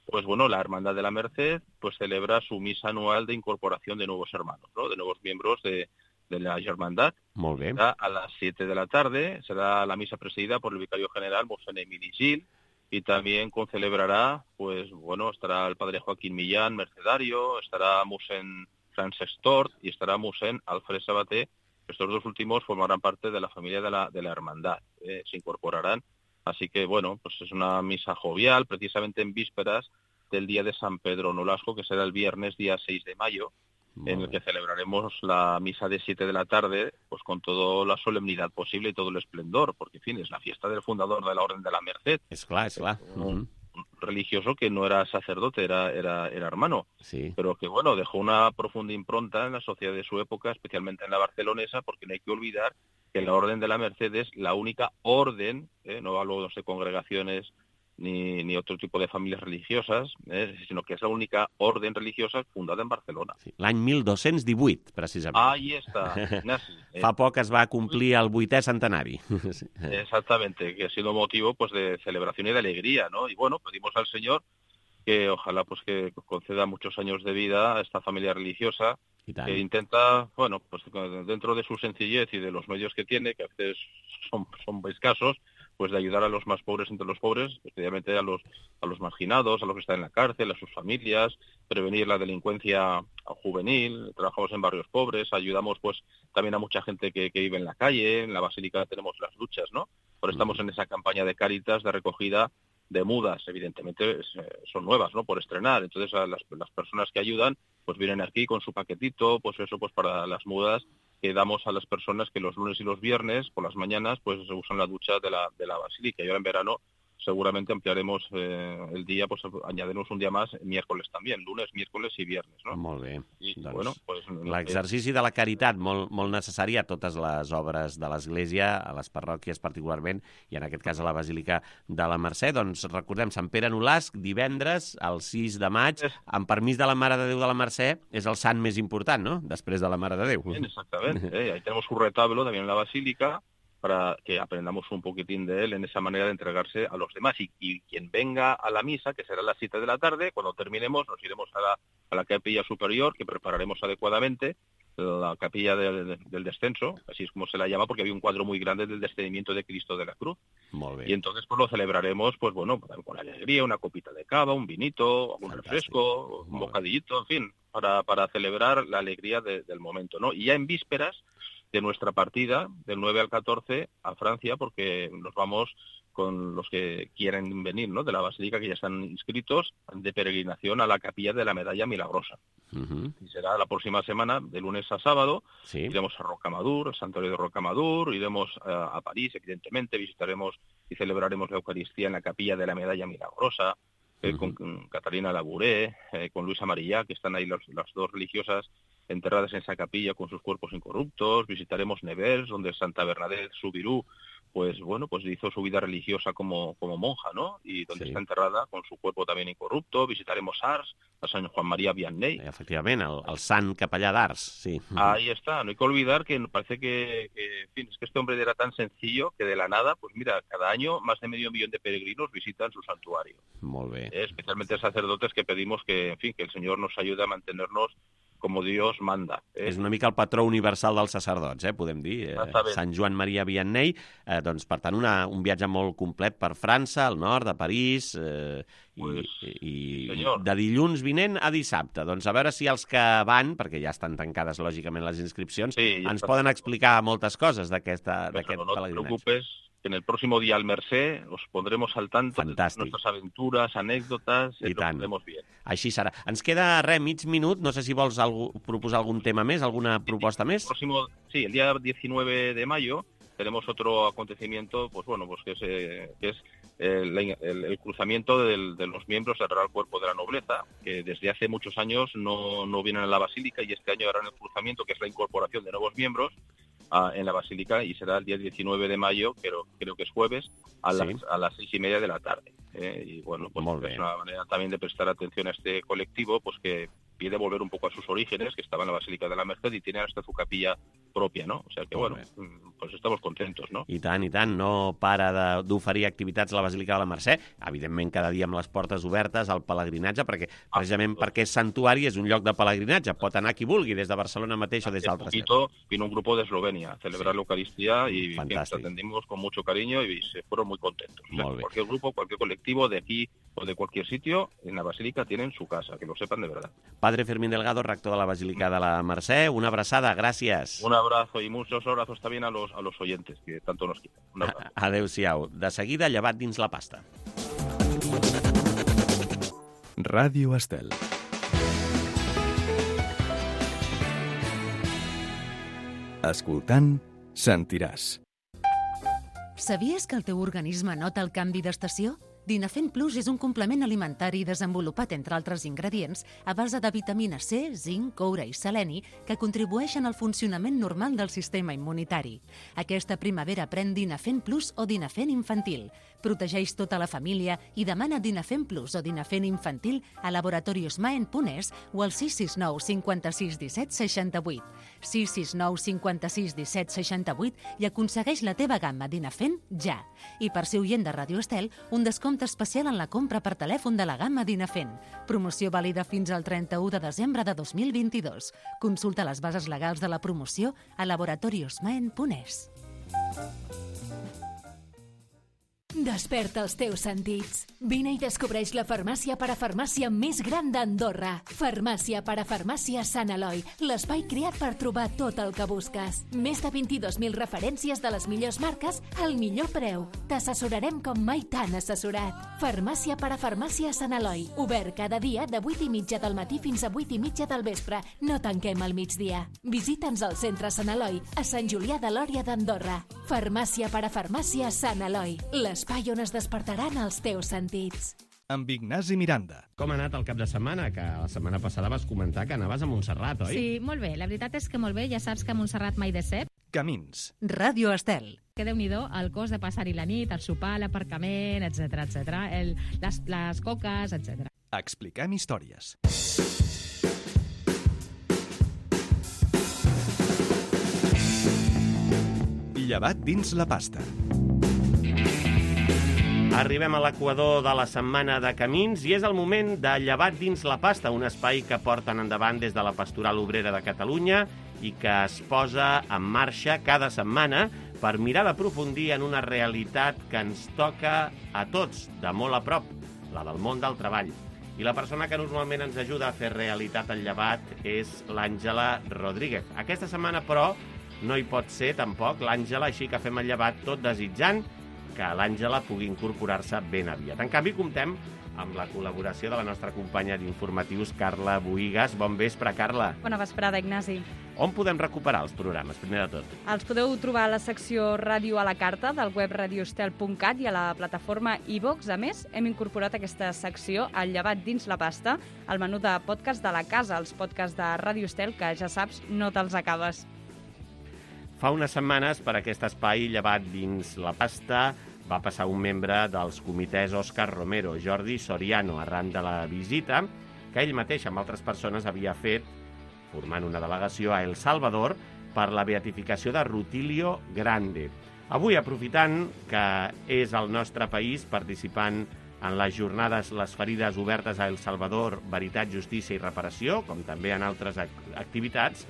pues bueno, la Hermandad de la Merced pues celebra su misa anual de incorporación de nuevos hermanos, ¿no? De nuevos miembros de la Hermandad. Molt bé. Será a las 7 de la tarde, será la misa presidida por el vicario general, Mosén Emili Gil, y también concelebrará, pues bueno, estará el padre Joaquín Millán, mercedario, estará Mosén Francesc Tort y estará Mosén Alfred Sabaté. Estos dos últimos formarán parte de la familia de la Hermandad, se incorporarán. Así que, bueno, pues es una misa jovial, precisamente en vísperas del día de San Pedro Nolasco, que será el viernes, día 6 de mayo, en el que celebraremos la misa de 7 de la tarde, pues con toda la solemnidad posible y todo el esplendor, porque, en fin, es la fiesta del fundador de la Orden de la Merced. És clar. Un religioso que no era sacerdote, era hermano, Sí. pero que, bueno, dejó una profunda impronta en la sociedad de su época, especialmente en la barcelonesa, porque no hay que olvidar que la Orden de la Merced es la única orden, no hablo de congregaciones ni otro tipo de familias religiosas, sino que es la única orden religiosa fundada en Barcelona. Sí. L'any 1218, precisament. Ahí está, Ignasi. Fa poc es va complir el 8è centenari. Sí. Exactamente, que ha sido motivo pues de celebración y de alegría, ¿no? Y bueno, pedimos al Señor que ojalá pues que conceda muchos años de vida a esta familia religiosa, que intenta, bueno, pues dentro de su sencillez y de los medios que tiene, que a veces son escasos, pues de ayudar a los más pobres entre los pobres, especialmente a los marginados, a los que están en la cárcel, a sus familias, prevenir la delincuencia juvenil. Trabajamos en barrios pobres, ayudamos pues también a mucha gente que vive en la calle. En la Basílica tenemos las luchas, ¿no? Ahora estamos en esa campaña de Cáritas de recogida de mudas, evidentemente son nuevas, ¿no? Por estrenar. Entonces a las personas que ayudan pues vienen aquí con su paquetito, pues eso, pues para las mudas que damos a las personas que los lunes y los viernes por las mañanas pues usan la ducha de la Basílica. Y ahora en verano seguramente ampliaremos el día, pues añadiremos un día más, miércoles también, lunes, miércoles i viernes, no? Molt bé. I, doncs, bueno, pues, l'exercici de la caritat molt necessari a totes les obres de l'Església, a les parròquies particularment, i en aquest cas a la Basílica de la Mercè. Doncs recordem, Sant Pere Nolasc, divendres, el 6 de maig, amb permís de la Mare de Déu de la Mercè, és el sant més important, no?, després de la Mare de Déu. Bien, exactamente. Ahí tenemos un retablo también en la Basílica, para que aprendamos un poquitín de él en esa manera de entregarse a los demás. Y quien venga a la misa, que será a las 7 de la tarde, cuando terminemos nos iremos a la capilla superior, que prepararemos adecuadamente, la capilla del descenso, así es como se la llama, porque había un cuadro muy grande del descendimiento de Cristo de la cruz. Molt bé. Y entonces pues lo celebraremos, pues bueno, con alegría, una copita de cava, un vinito, un refresco, un bocadillito, en fin, para celebrar la alegría del momento, ¿no? Y ya en vísperas de nuestra partida, del 9 al 14, a Francia, porque nos vamos con los que quieren venir, ¿no?, de la Basílica, que ya están inscritos, de peregrinación a la Capilla de la Medalla Milagrosa. Y será la próxima semana, de lunes a sábado. Sí. Iremos a Rocamadour, el santuario de Rocamadour, iremos a París, evidentemente, visitaremos y celebraremos la Eucaristía en la Capilla de la Medalla Milagrosa, con Catalina Labouré, con Luisa Marillá, que están ahí las dos religiosas enterradas en esa capilla con sus cuerpos incorruptos. Visitaremos Nevers, donde Santa Bernadette Soubirous pues hizo su vida religiosa como monja, ¿no? Y donde está enterrada con su cuerpo también incorrupto. Visitaremos Ars, a San Juan María Vianney. Efectivament, el sant capellà d'Ars, sí. Ahí está. No hay que olvidar que parece que en fin, es que este hombre era tan sencillo que de la nada, pues mira, cada año más de 500.000 de peregrinos visitan su santuario. Molt bé. Especialmente sacerdotes que pedimos que, en fin, que el Señor nos ayude a mantenernos com Dios manda. És una mica el patró universal dels sacerdots, podem dir. Sant Joan Maria Vianney. Doncs, per tant, un viatge molt complet per França, al nord, a París, i de dilluns vinent a dissabte. Doncs a veure si els que van, perquè ja estan tancades, lògicament, les inscripcions, ens poden explicar moltes coses d'aquest pelegrinatge. No te preocupes, que en el próximo día al Mercè os pondremos al tanto de nuestras aventuras, anécdotas, y lo haremos bien. Així serà. Ens queda mig minut, no sé si vols proposar algun tema més, alguna proposta més? Sí, el día 19 de mayo tenemos otro acontecimiento, que es el cruzamiento de los miembros del Real Cuerpo de la Nobleza, que desde hace muchos años no vienen a la Basílica, y este año harán el cruzamiento, que es la incorporación de nuevos miembros en la Basílica, y será el día 19 de mayo, creo que es jueves, a las 6:30 de la tarde. Y bueno, pues es una manera también de prestar atención a este colectivo, pues que pide volver un poco a sus orígenes, que estaba en la Basílica de la Merced y tiene hasta su capilla propia, ¿no? O sea que, pues estamos contentos, no? I tant, no para d'oferir activitats a la Basílica de la Mercè, evidentment cada dia amb les portes obertes al pelegrinatge, perquè precisament perquè és santuari, és un lloc de pelegrinatge, pot anar qui vulgui, des de Barcelona mateix o des d'altres llocs. Vino un grupo de Eslovenia a celebrar la Eucaristía y los atendimos con mucho cariño y se fueron muy contentos. O sea, cualquier grupo, cualquier colectivo de aquí o de cualquier sitio, en la Basílica tienen su casa, que lo sepan de verdad. Padre Fermín Delgado, rector de la Basílica de la Mercè, una abraçada, gràcies. Un abrazo y muchos abrazos también a los oyentes, que tanto nos quieren. Un abrazo. Adéu-siau. De seguida, llevat dins la pasta. Ràdio Estel. Escoltant, sentiràs. Sabies que el teu organisme nota el canvi d'estació? Dinafen Plus és un complement alimentari desenvolupat, entre altres ingredients, a base de vitamina C, zinc, coure i seleni, que contribueixen al funcionament normal del sistema immunitari. Aquesta primavera pren Dinafen Plus o Dinafen Infantil. Protegeix tota la família i demana Dinafen Plus o Dinafen Infantil a Laboratorios Maen Punès o al 669 56 17 68. 669 56 17 68 i aconsegueix la teva gamma Dinafen ja. I per ser oient de Ràdio Estel, un descompte especial en la compra per telèfon de la gamma Dinafen. Promoció vàlida fins al 31 de desembre de 2022. Consulta les bases legals de la promoció a Laboratorios Maen Punès. Desperta els teus sentits. Vine i descobreix la farmàcia parafarmàcia més gran d'Andorra. Farmàcia parafarmàcia Sant Eloi, l'espai creat per trobar tot el que busques. Més de 22.000 referències de les millors marques al millor preu. T'assessorarem com mai t'han assessorat. Farmàcia parafarmàcia Sant Eloi, obert cada dia de 8:30 del matí fins a 8:30 del vespre. No tanquem al migdia. Visita'ns al centre Sant Eloi, a Sant Julià de Lòria d'Andorra. Farmàcia parafarmàcia Sant Eloi, l'espai on es despertaran els teus sentits. Amb Ignasi Miranda. Com ha anat el cap de setmana? Que la setmana passada vas comentar que anaves a Montserrat, oi? Sí, molt bé. La veritat és que molt bé. Ja saps que a Montserrat mai decep. Camins. Ràdio Estel. Que Déu-n'hi-do, el cost de passar-hi la nit, el sopar, l'aparcament, etc les coques, etc. Expliquem històries. Llevat dins la pasta. Arribem a l'equador de la setmana de Camins i és el moment de Llevat dins la pasta, un espai que porten endavant des de la Pastoral Obrera de Catalunya i que es posa en marxa cada setmana per mirar d'aprofundir en una realitat que ens toca a tots, de molt a prop, la del món del treball. I la persona que normalment ens ajuda a fer realitat el llevat és l'Àngela Rodríguez. Aquesta setmana, però, no hi pot ser tampoc l'Àngela, així que fem el llevat tot desitjant que l'Àngela pugui incorporar-se ben aviat. En canvi, comptem amb la col·laboració de la nostra companya d'informatius, Carla Boïgues. Bon vespre, Carla. Bona vesprada, Ignasi. On podem recuperar els programes, primer de tot? Els podeu trobar a la secció Ràdio a la carta del web radioestel.cat i a la plataforma iVox. A més, hem incorporat aquesta secció al llevat dins la pasta, al menú de podcast de la casa, els podcasts de Ràdio Estel, que ja saps, no te'ls acabes. Fa unes setmanes, per aquest espai llevat dins la pasta, va passar un membre dels comitès Òscar Romero, Jordi Soriano, arran de la visita que ell mateix amb altres persones havia fet, formant una delegació a El Salvador per la beatificació de Rutilio Grande. Avui, aprofitant que és el nostre país participant en les jornades Les ferides obertes a El Salvador, Veritat, Justícia i Reparació, com també en altres activitats,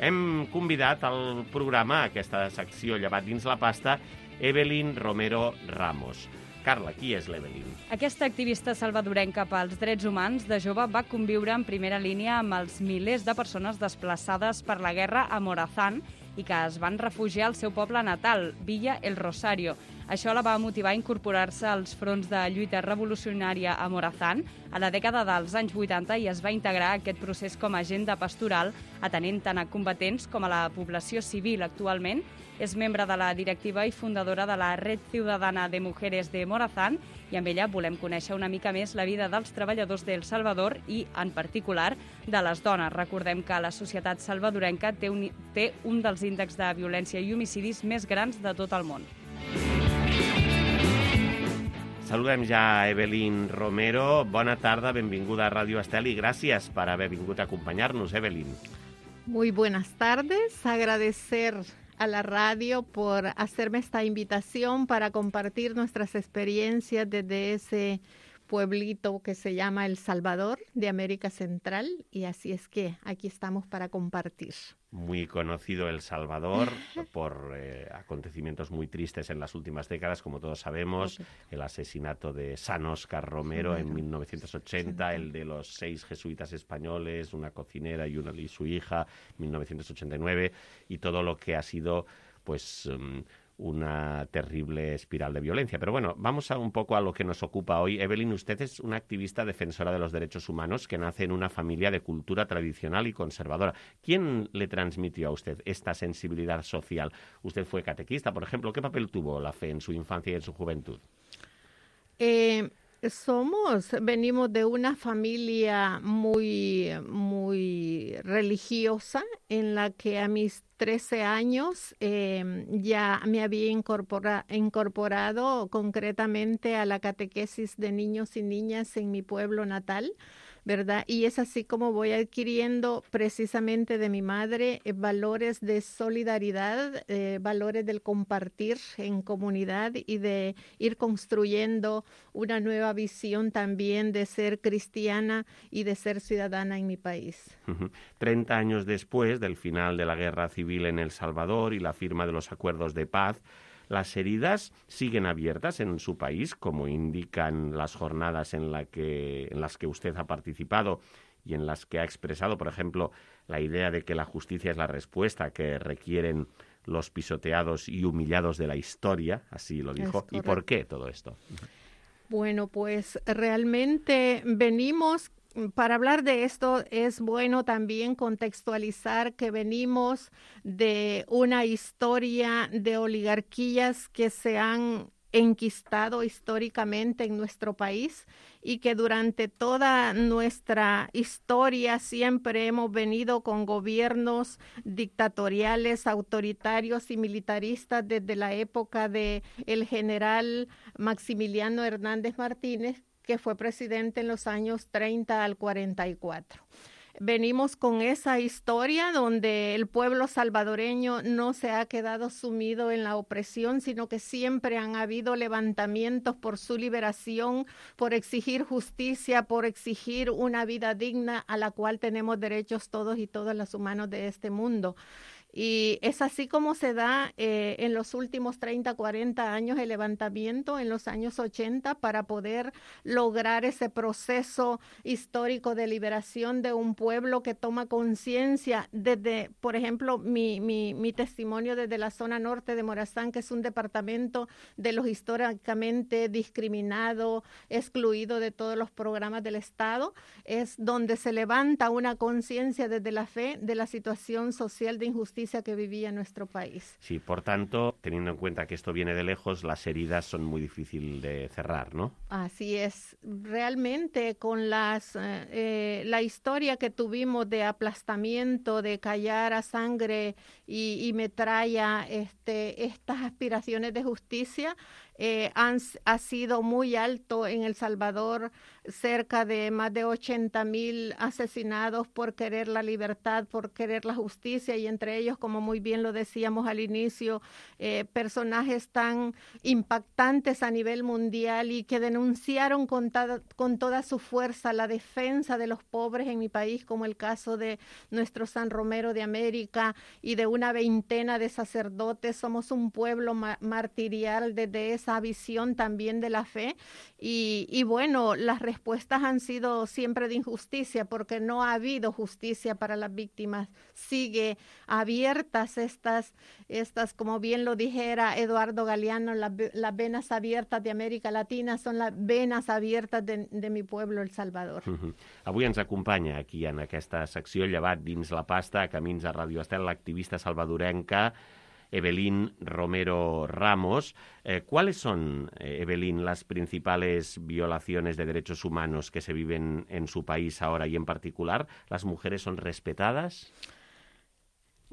hem convidat al programa, a aquesta secció llevat dins la pasta, Evelyn Romero Ramos. Carla, qui és l'Evelyn? Aquesta activista salvadorenca pels drets humans de jove va conviure en primera línia amb els milers de persones desplaçades per la guerra a Morazán i que es van refugiar al seu poble natal, Villa El Rosario. Això la va motivar a incorporar-se als fronts de lluita revolucionària a Morazán a la dècada dels anys 80 i es va integrar a aquest procés com a agenda pastoral, atenent tant a combatents com a la població civil. Actualment és membre de la directiva i fundadora de la Red Ciudadana de Mujeres de Morazán i amb ella volem conèixer una mica més la vida dels treballadors d'El Salvador i, en particular, de les dones. Recordem que la societat salvadorenca té un dels índexs de violència i homicidis més grans de tot el món. Saludem ja a Evelyn Romero. Bona tarda, benvinguda a Ràdio Estel i gràcies per haver vingut a acompanyar-nos, Evelyn. Muy buenas tardes. Agradecer a la radio por hacerme esta invitación para compartir nuestras experiencias desde ese pueblito que se llama El Salvador, de América Central, y así es que aquí estamos para compartir. Muy conocido El Salvador por acontecimientos muy tristes en las últimas décadas, como todos sabemos, el asesinato de San Óscar Romero en 1980, el de los 6 jesuitas españoles, una cocinera y su hija, 1989, y todo lo que ha sido, pues, una terrible espiral de violencia. Pero bueno, vamos un poco a lo que nos ocupa hoy. Evelyn, usted es una activista defensora de los derechos humanos que nace en una familia de cultura tradicional y conservadora. ¿Quién le transmitió a usted esta sensibilidad social? Usted fue catequista, por ejemplo. ¿Qué papel tuvo la fe en su infancia y en su juventud? Venimos de una familia muy religiosa, en la que a mis 13 años ya me había incorporado concretamente a la catequesis de niños y niñas en mi pueblo natal, ¿verdad? Y es así como voy adquiriendo precisamente de mi madre valores de solidaridad, valores del compartir en comunidad y de ir construyendo una nueva visión también de ser cristiana y de ser ciudadana en mi país. 30 años después del final de la guerra civil en El Salvador y la firma de los acuerdos de paz, ¿las heridas siguen abiertas en su país, como indican las jornadas en las que usted ha participado y en las que ha expresado, por ejemplo, la idea de que la justicia es la respuesta que requieren los pisoteados y humillados de la historia? Así lo dijo. ¿Y por qué todo esto? Bueno, pues realmente venimos... Para hablar de esto es bueno también contextualizar que venimos de una historia de oligarquías que se han enquistado históricamente en nuestro país y que durante toda nuestra historia siempre hemos venido con gobiernos dictatoriales, autoritarios y militaristas desde la época de el general Maximiliano Hernández Martínez, que fue presidente en los años 30 al 44. Venimos con esa historia donde el pueblo salvadoreño no se ha quedado sumido en la opresión, sino que siempre han habido levantamientos por su liberación, por exigir justicia, por exigir una vida digna a la cual tenemos derechos todos y todas los humanos de este mundo. Y es así como se da en los últimos 30, 40 años el levantamiento en los años 80 para poder lograr ese proceso histórico de liberación de un pueblo que toma conciencia desde, por ejemplo, mi testimonio desde la zona norte de Morazán, que es un departamento de los históricamente discriminado, excluido de todos los programas del Estado, es donde se levanta una conciencia desde la fe de la situación social de injusticia injusticia que vivía nuestro país. Sí, por tanto, teniendo en cuenta que esto viene de lejos, las heridas son muy difíciles de cerrar, ¿no? Así es. Realmente con la historia que tuvimos de aplastamiento, de callar a sangre y metralla estas aspiraciones de justicia, ha sido muy alto en El Salvador, cerca de más de 80,000 asesinados por querer la libertad, por querer la justicia, y entre ellos, como muy bien lo decíamos al inicio, personajes tan impactantes a nivel mundial y que denunciaron con toda su fuerza la defensa de los pobres en mi país, como el caso de nuestro San Romero de América y de una veintena de sacerdotes. Somos un pueblo martirial desde esa visión también de la fe, y bueno, las respuestas han sido siempre de injusticia, porque no ha habido justicia para las víctimas. Sigue abiertas estas como bien lo dijera Eduardo Galeano, las venas abiertas de América Latina son las venes abiertes de mi pueblo, El Salvador. Avui ens acompanya aquí en aquesta secció Llevat dins la pasta, a Camins a Radio Estel, l'activista salvadorenca Evelyn Romero Ramos. ¿Cuáles son, Evelyn, las principales violaciones de derechos humanos que se viven en su país ahora, y en particular, las mujeres son respetadas?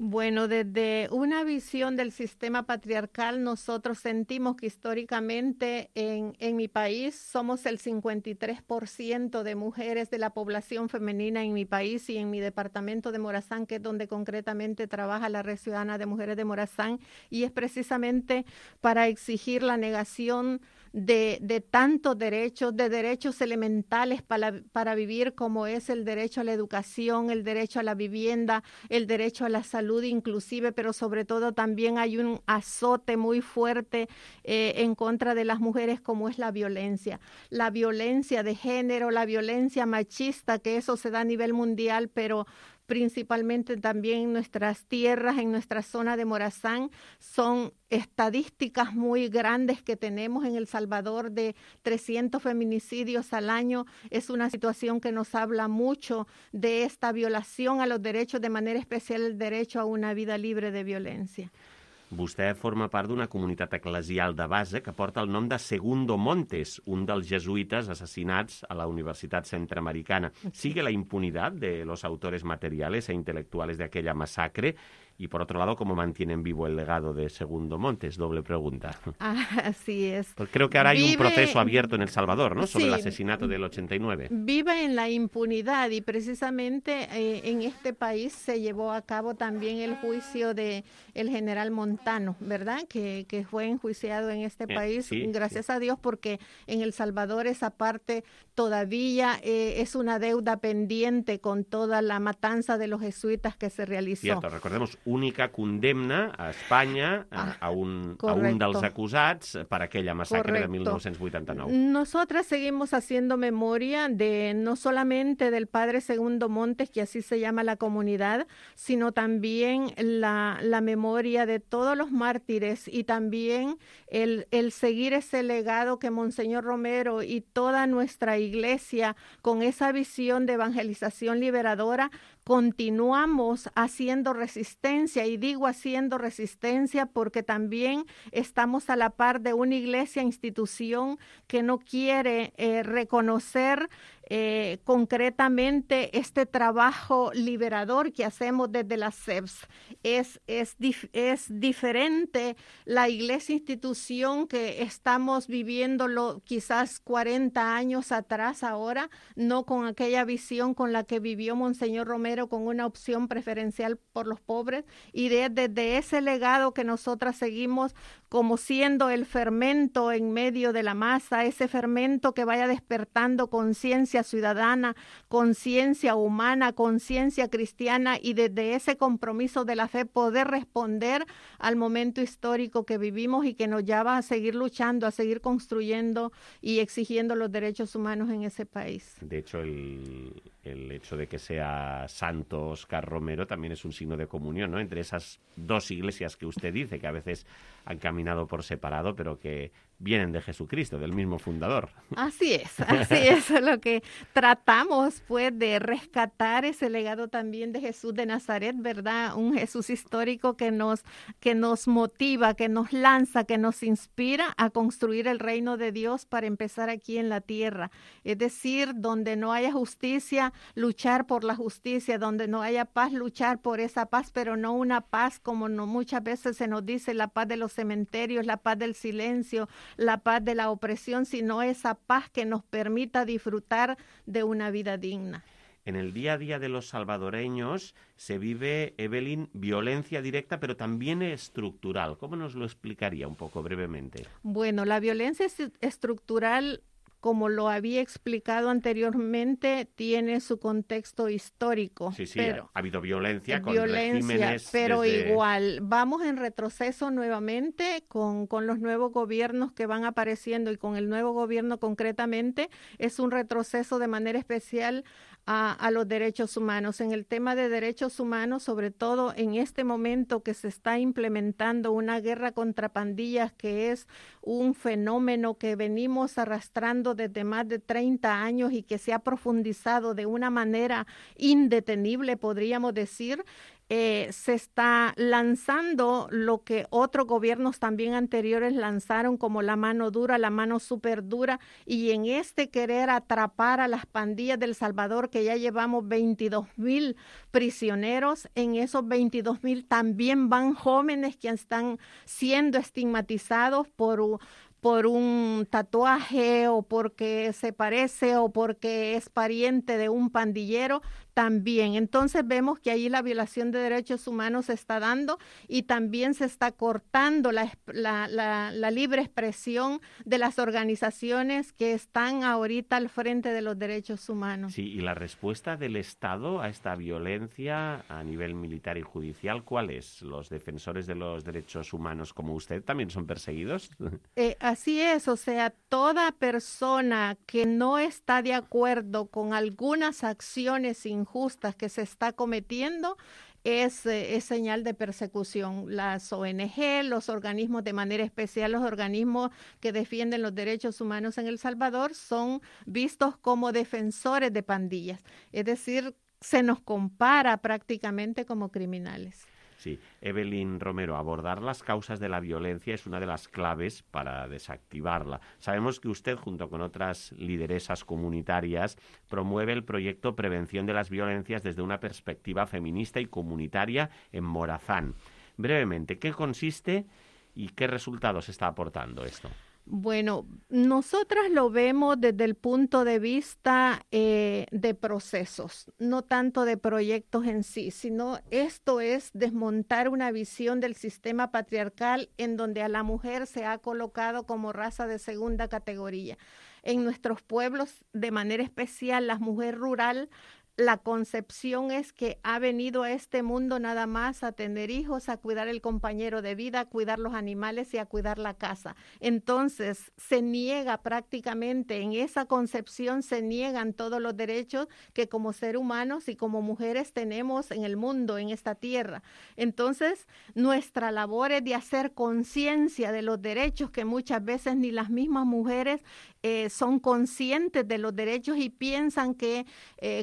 Bueno, desde una visión del sistema patriarcal, nosotros sentimos que históricamente en mi país somos el 53% de mujeres de la población femenina en mi país, y en mi departamento de Morazán, que es donde concretamente trabaja la Red Ciudadana de Mujeres de Morazán, y es precisamente para exigir la negación de tantos derechos, de derechos elementales para vivir, como es el derecho a la educación, el derecho a la vivienda, el derecho a la salud inclusive, pero sobre todo también hay un azote muy fuerte en contra de las mujeres, como es la violencia de género, la violencia machista, que eso se da a nivel mundial, pero principalmente también en nuestras tierras, en nuestra zona de Morazán. Son estadísticas muy grandes que tenemos en El Salvador, de 300 feminicidios al año. Es una situación que nos habla mucho de esta violación a los derechos, de manera especial el derecho a una vida libre de violencia. Vostè forma part d'una comunitat eclesial de base que porta el nom de Segundo Montes, un dels jesuïtes assassinats a la Universitat Centroamericana. ¿Sigue la impunidad de los autores materiales e intelectuales de aquella masacre? Y, por otro lado, ¿cómo mantienen vivo el legado de Segundo Montes? Doble pregunta. Así es. Pues creo que ahora hay un proceso abierto en El Salvador, ¿no? Sobre el asesinato del 89. Vive en la impunidad, y precisamente en este país se llevó a cabo también el juicio de el general Montano, ¿verdad? Que fue enjuiciado en este país, gracias a Dios, porque en El Salvador esa parte todavía es una deuda pendiente con toda la matanza de los jesuitas que se realizó. Cierto, recordemos, única condemna a Espanya a un dels acusats per aquella massacre de 1989. Nosotras seguimos haciendo memoria de no solamente del padre Segundo Montes, que así se llama la comunidad, sino también la memoria de todos los mártires, y también el seguir ese legado que Monseñor Romero y toda nuestra iglesia, con esa visión de evangelización liberadora, continuamos haciendo resistencia, y digo haciendo resistencia porque también estamos a la par de una iglesia institución que no quiere reconocer concretamente este trabajo liberador que hacemos desde la CEPS. Es diferente la iglesia institución que estamos viviéndolo quizás 40 años atrás ahora, no con aquella visión con la que vivió Monseñor Romero, con una opción preferencial por los pobres, y desde ese legado que nosotras seguimos como siendo el fermento en medio de la masa, ese fermento que vaya despertando conciencia ciudadana, conciencia humana, conciencia cristiana, y desde ese compromiso de la fe poder responder al momento histórico que vivimos y que nos lleva a seguir luchando, a seguir construyendo y exigiendo los derechos humanos en ese país. De hecho, el hecho de que sea santo Óscar Romero también es un signo de comunión, ¿no? Entre esas dos iglesias que usted dice, que a veces han caminado por separado, pero que vienen de Jesucristo, del mismo fundador. Así es tratamos pues de rescatar ese legado también de Jesús de Nazaret, ¿verdad? Un Jesús histórico que nos motiva, que nos lanza, que nos inspira a construir el reino de Dios para empezar aquí en la tierra. Es decir, donde no haya justicia, luchar por la justicia, donde no haya paz, luchar por esa paz, pero no una paz como muchas veces se nos dice, la paz de los cementerios, la paz del silencio, la paz de la opresión, sino esa paz que nos permita disfrutar de una vida digna. En el día a día de los salvadoreños se vive, Evelyn, violencia directa, pero también estructural. ¿Cómo nos lo explicaría un poco brevemente? Bueno, la violencia estructural, como lo había explicado anteriormente, tiene su contexto histórico. Sí, pero ha habido violencia con regímenes. Pero igual, vamos en retroceso nuevamente con los nuevos gobiernos que van apareciendo y con el nuevo gobierno concretamente, es un retroceso de manera especial a los derechos humanos. En el tema de derechos humanos, sobre todo en este momento que se está implementando una guerra contra pandillas, que es un fenómeno que venimos arrastrando desde más de 30 años y que se ha profundizado de una manera indetenible, podríamos decir. Se está lanzando lo que otros gobiernos también anteriores lanzaron como la mano dura, la mano súper dura, y en este querer atrapar a las pandillas del Salvador, que ya llevamos 22,000 prisioneros, en esos 22,000 también van jóvenes que están siendo estigmatizados por un tatuaje o porque se parece o porque es pariente de un pandillero también. Entonces vemos que ahí la violación de derechos humanos se está dando y también se está cortando la libre expresión de las organizaciones que están ahorita al frente de los derechos humanos. Sí, y la respuesta del Estado a esta violencia a nivel militar y judicial, ¿cuál es? ¿Los defensores de los derechos humanos como usted también son perseguidos? Así es, o sea, toda persona que no está de acuerdo con algunas acciones injustas que se está cometiendo es señal de persecución. Las ONG, los organismos, de manera especial los organismos que defienden los derechos humanos en El Salvador, son vistos como defensores de pandillas. Es decir, se nos compara prácticamente como criminales. Sí, Evelyn Romero, abordar las causas de la violencia es una de las claves para desactivarla. Sabemos que usted, junto con otras lideresas comunitarias, promueve el proyecto Prevención de las Violencias desde una perspectiva feminista y comunitaria en Morazán. Brevemente, ¿qué consiste y qué resultados está aportando esto? Bueno, nosotras lo vemos desde el punto de vista de procesos, no tanto de proyectos en sí, sino esto es desmontar una visión del sistema patriarcal en donde a la mujer se ha colocado como raza de segunda categoría. En nuestros pueblos, de manera especial, la mujer rural, la concepción es que ha venido a este mundo nada más a tener hijos, a cuidar el compañero de vida, a cuidar los animales y a cuidar la casa. Entonces, se niega prácticamente, en esa concepción se niegan todos los derechos que como seres humanos y como mujeres tenemos en el mundo, en esta tierra. Entonces, nuestra labor es de hacer conciencia de los derechos que muchas veces ni las mismas mujeres son conscientes de los derechos y piensan que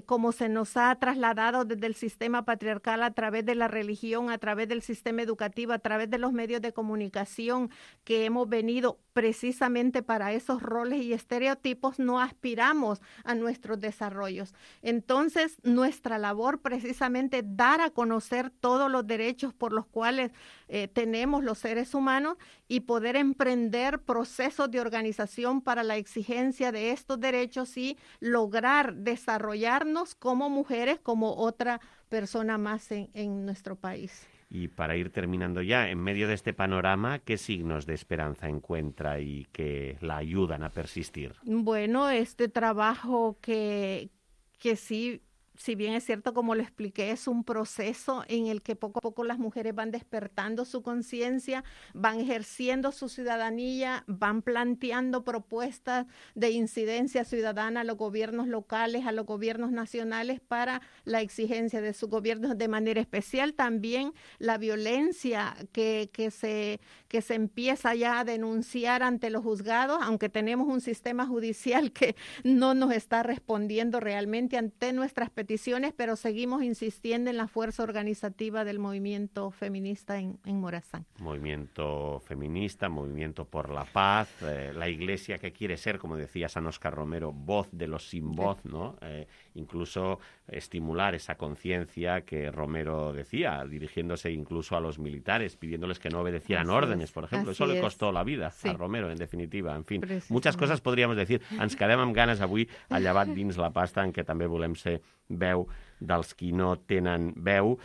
como se nos ha trasladado desde el sistema patriarcal a través de la religión, a través del sistema educativo, a través de los medios de comunicación, que hemos venido precisamente para esos roles y estereotipos, no aspiramos a nuestros desarrollos. Entonces, nuestra labor precisamente es dar a conocer todos los derechos por los cuales tenemos los seres humanos y poder emprender procesos de organización para la exigencia de estos derechos y lograr desarrollarnos como mujeres, como otra persona más en nuestro país. Y para ir terminando ya, en medio de este panorama, ¿qué signos de esperanza encuentra y que la ayudan a persistir? Bueno, este trabajo que sí si bien es cierto, como lo expliqué, es un proceso en el que poco a poco las mujeres van despertando su conciencia, van ejerciendo su ciudadanía, van planteando propuestas de incidencia ciudadana a los gobiernos locales, a los gobiernos nacionales para la exigencia de sus gobiernos, de manera especial también la violencia que se empieza ya a denunciar ante los juzgados, aunque tenemos un sistema judicial que no nos está respondiendo realmente ante nuestras peticiones, pero seguimos insistiendo en la fuerza organizativa del movimiento feminista en Morazán. Movimiento feminista, movimiento por la paz, la Iglesia que quiere ser, como decía San Óscar Romero, voz de los sin voz, ¿no? Incluso estimular esa conciencia que Romero decía, dirigiéndose incluso a los militares, pidiéndoles que no obedecieran órdenes, por ejemplo. Eso le costó la vida a Romero, en definitiva. En fin, muchas cosas podríamos decir. Ens quedem amb ganes avui a Llevat dins la pasta, en què també volem ser veu dels qui no tenen veu,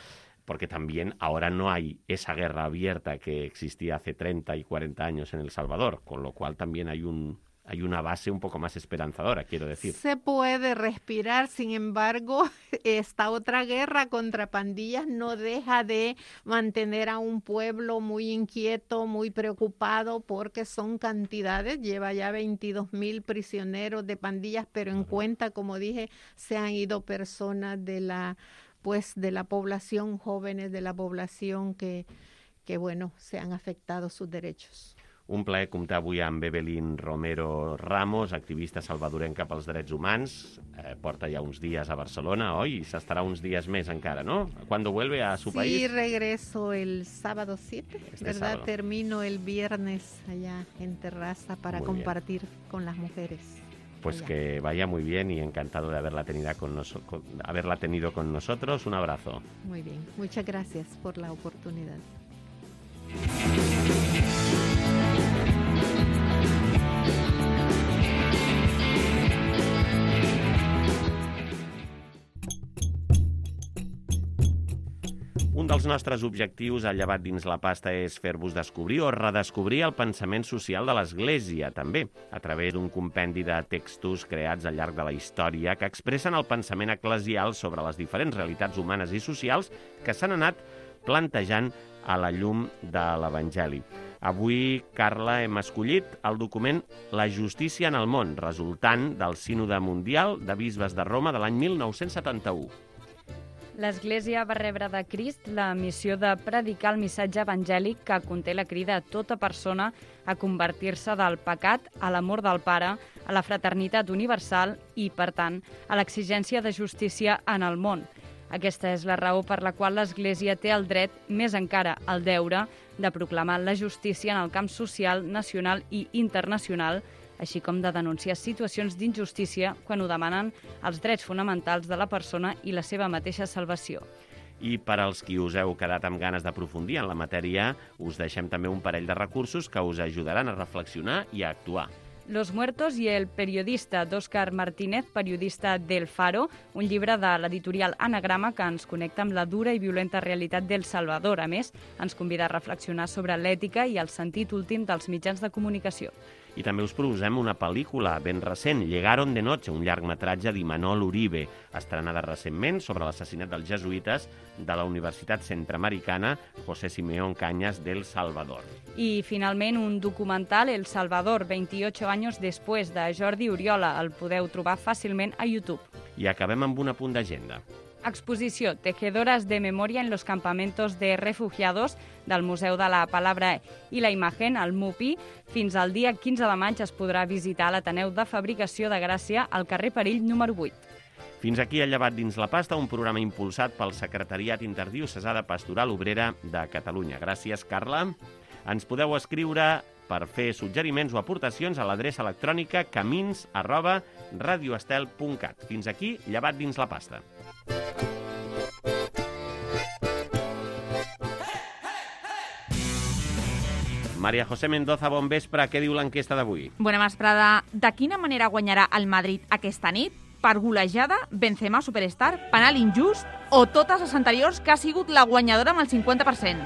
porque también ahora no hay esa guerra abierta que existía hace 30 y 40 años en El Salvador, con lo cual también hay una base un poco más esperanzadora, quiero decir. Se puede respirar, sin embargo, esta otra guerra contra pandillas no deja de mantener a un pueblo muy inquieto, muy preocupado, porque son cantidades, lleva ya 22,000 prisioneros de pandillas, pero en cuenta, como dije, se han ido personas de la población, jóvenes de la población que bueno, se han afectado sus derechos. Un plaer comptar avui amb Evelyn Romero Ramos, activista salvadorenca pels drets humans. Porta ja uns dies a Barcelona, oi? I s'estarà uns dies més encara, ¿no? ¿Cuándo vuelve a su país? Sí, regreso el sábado 7, ¿verdad? Sábado. Termino el viernes allá en Terraza para compartir con las mujeres. Pues allá. Que vaya muy bien y encantado de haberla tenido con nosotros. Un abrazo. Muy bien, muchas gracias por la oportunidad. Un dels nostres objectius a Llevat dins la pasta és fer-vos descobrir o redescobrir el pensament social de l'Església, també, a través d'un compendi de textos creats al llarg de la història que expressen el pensament eclesial sobre les diferents realitats humanes i socials que s'han anat plantejant a la llum de l'Evangeli. Avui, Carla, hem escollit el document La justícia en el món, resultant del Sínode Mundial de Bisbes de Roma de l'any 1971. L'Església va rebre de Crist la missió de predicar el missatge evangèlic que conté la crida a tota persona a convertir-se del pecat a l'amor del Pare, a la fraternitat universal i, per tant, a l'exigència de justícia en el món. Aquesta és la raó per la qual l'Església té el dret, més encara el deure, de proclamar la justícia en el camp social, nacional i internacional, així com de denunciar situacions d'injustícia quan ho demanen els drets fonamentals de la persona i la seva mateixa salvació. I per als qui us heu quedat amb ganes d'aprofundir en la matèria, us deixem també un parell de recursos que us ajudaran a reflexionar i a actuar. Los muertos i el periodista d'Òscar Martínez, periodista del Faro, un llibre de l'editorial Anagrama que ens connecta amb la dura i violenta realitat d'El Salvador. A més, ens convida a reflexionar sobre l'ètica i el sentit últim dels mitjans de comunicació. I també us proposem una pel·lícula ben recent, Llegaron de noche, un llargmetratge d'Imanol Uribe, estrenada recentment sobre l'assassinat dels jesuïtes de la Universitat Centroamericana José Simeón Cañas del Salvador. I, finalment, un documental, El Salvador, 28 anys després, de Jordi Oriola. El podeu trobar fàcilment a YouTube. I acabem amb un apunt d'agenda. Exposició Tejedoras de Memoria en los Campamentos de Refugiados del Museu de la Palabra i la Imagen, al MUPI. Fins al dia 15 de maig es podrà visitar l'Ateneu de Fabricació de Gràcia al carrer Perill número 8. Fins aquí a Llevat dins la pasta, un programa impulsat pel Secretariat Interdiocesà de Pastoral Obrera de Catalunya. Gràcies, Carla. Ens podeu escriure per fer suggeriments o aportacions a l'adreça electrònica camins@radioestel.cat. Fins aquí, Llevat dins la pasta. Maria José Mendoza, bon vespre. Què diu l'enquesta d'avui? Bona vesprada. De quina manera guanyarà el Madrid aquesta nit? Per golejada, Benzema superstar, penal injust o totes les anteriors que ha sigut la guanyadora amb el 50%?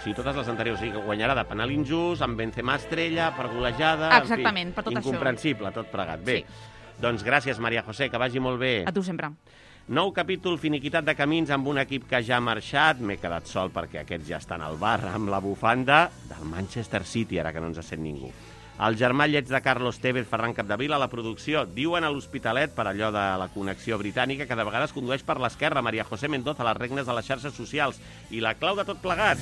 Sí, totes les anteriors, sí, que guanyarà de penal injust, amb Benzema estrella, per golejada... Exactament, per tot incomprensible, tot plegat. Bé, sí. Doncs gràcies, Maria José, que vagi molt bé. A tu sempre. Nou capítol finiquitat de camins amb un equip que ja ha marxat. M'he quedat sol perquè aquests ja estan al bar amb la bufanda del Manchester City, ara que no ens sent ningú. El germà lleig de Carlos Tevez, Ferran Capdevila, a la producció. Diuen a l'Hospitalet, per allò de la connexió britànica, que de vegades condueix per l'esquerra. Maria José Mendoza, a les regnes de les xarxes socials. I la clau de tot plegat,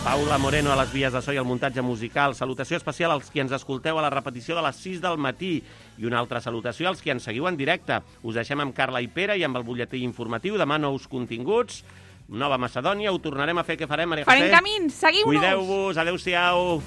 Paula Moreno a les vies de so i el muntatge musical. Salutació especial als qui ens escolteu a la repetició de les 6 del matí. I una altra salutació als qui ens seguiu en directe. Us deixem amb Carla i Pere i amb el butlletí informatiu. Demà nous continguts. Nova Macedònia, ho tornarem a fer. Què farem, Maria José? Farem camins, seguiu-nos! Cuideu-vos, adeu-siau!